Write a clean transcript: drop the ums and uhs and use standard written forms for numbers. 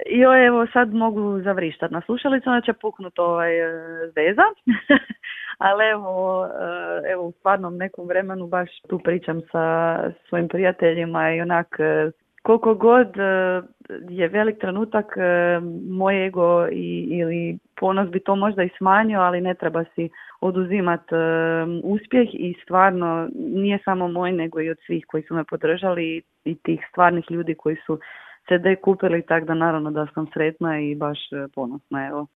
Joj, evo sad mogu zavrištat na slušalicu, onda će puknut veza. Ali evo u stvarnom nekom vremenu baš tu pričam sa svojim prijateljima i onak koliko god je velik trenutak, moj ego ili ponos bi to možda i smanjio, ali ne treba si oduzimat uspjeh i stvarno nije samo moj nego i od svih koji su me podržali i tih stvarnih ljudi koji su CD kupili, tako da naravno da sam sretna i baš ponosna, evo.